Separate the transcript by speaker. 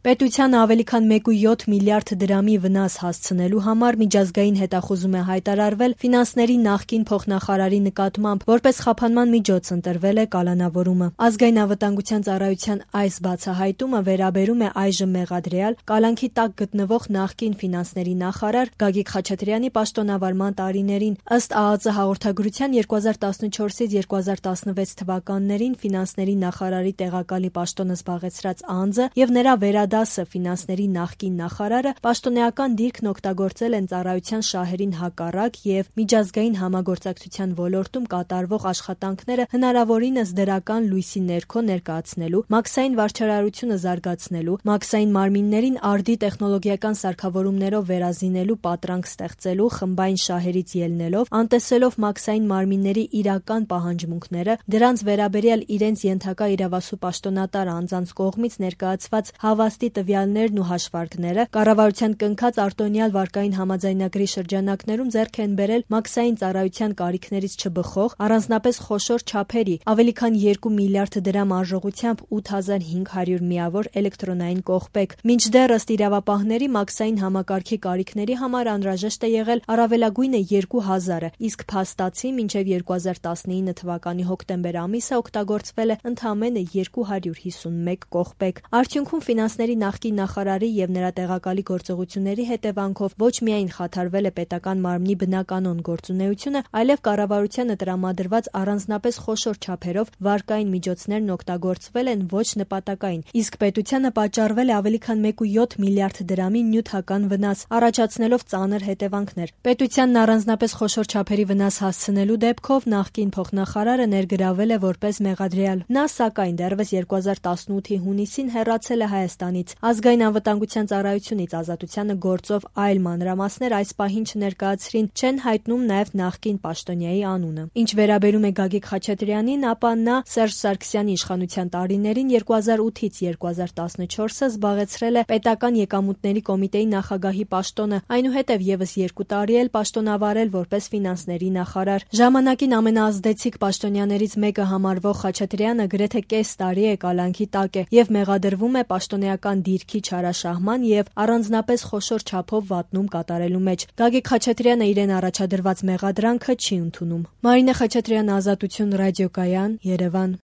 Speaker 1: Պետությանը ավելի քան 1.7 միլիարդ դրամի վնաս հասցնելու համար միջազգային հետախուզում է հայտարարվել ֆինանսների նախկին փոխնախարարի նկատմամբ, որպես խափանման միջոց ընտրվել է կալանավորումը։ Ազգային անվտանգության ծառայության այս բացահայտումը վերաբերում է այժմ մեղադրյալ, կալանքի տակ գտնվող նախկին ֆինանսների նախարար Գագիկ Խաչատրյանի պաշտոնավարման տարիներին։ Ըստ ԱԱԾ հաղորդագրության 2014-ից 2016 թվականներին ֆինանսների նախարարի տեղակալի պաշտոնը զբաղեցրած անձը եւ նրա վերադասը ֆինանսների նախկին նախարարը պաշտոնեական դիրքն օգտագործել են ծառայության շահերին հակառակ եւ միջազգային համագործակցության ոլորտում կատարվող աշխատանքները հնարավորինս դրական լույսի ներքո ներկայացնելու, մաքսային վարչարարությունը զարգացնելու, մաքսային մարմիններին արդի տեխնոլոգիական սարքավորումներով վերազինելու պատրանք ստեղծելու, խմբային շահերից ելնելով, անտեսելով մաքսային մարմինների իրական պահանջմունքները, դրանց վերաբերյալ իրենց ենթակա իրավասու պաշտոնատար անձանց կողմից ներկայացված հավաստի տվյալներն ու հաշվարկները, կառավարության կնքած արտոնյալ վարկային համաձայնագրի շրջանակներում ձեռք են բերել մաքսային ծառայության կարիքներից չբխող, առանձնապես խոշոր չափերի, ավելի քան 2 միլիարդ դրամ արժողությամբ 8500 միավոր էլեկտրոնային կողպեք։ Մինչդեռ ըստ իրավապահների մաքսային համակարգի կարիքների համար անհրաժեշտ է եղել առավելագույնը 2000-ը, իսկ փաստացի մինչև 2019 թվականի հոկտեմբեր ամիսը օգտագործվել է ընդամենը 251 կողպեք։ Արդյունքում ֆինանսների նախկին նախարարի եւ նրա տեղակալի գործողությունների հետևանքով ոչ միայն խաթարվել է պետական մարմնի բնականոն գործունեությունը, այլև կառավարությանը տրամադրված առանձնապես խոշոր չափերով վարկային միջոցներն օգտագործվել են ոչ նպատակային, իսկ պետությանը պատճառվել է ավելի քան 1.7 միլիարդ դրամի նյութական վնաս, առաջացնելով ծանր հետևանքներ։ Պետությանն առանձնապես խոշոր չափերի վնաս հասցնելու դեպքով նախկին փոխնախարարը ներգրավել է որպես մեղադրյալ։ Նա, սակայն, դեռևս 2018-ի հունիսին հեռացել է Հայաստանից։ Ազգային անվտանգության ծառայությունից ազատությանը գործով այլ մանրամասներ այս պահին չներկայացրին, չեն հայտնում նաև նախկին պաշտոնյայի անունը։ Ինչ վերաբերում է Գագիկ Խաչատրյանին, ապա նա Սերժ Սարգսյանի իշխանության տարիներին 2008-ից 2014-ը զբաղեցրել է պետական եկամուտների կոմիտեի նախագահի պաշտոնը, այնուհետև եւս 2 տարի էլ պաշտոնավարել որպես ֆինանսների նախարար։ Ժամանակին ամենաազդեցիկ պաշտոնյաներից մեկը համարվող Խաչատրյանը գրեթե կես տարի է կալանքի տակ է եւ մեղադրվում է պաշտոնեական դիրքի չարաշահման եւ առանձնապես խոշոր չափով վատնում կատարելու մեջ։ Գագիկ Խաչատրյանը իրեն առաջադրված մեղադրանքը չի ընդունում։ Մարինե Խաչատրյան, Ազատություն, ռադիոկայան, Երևան։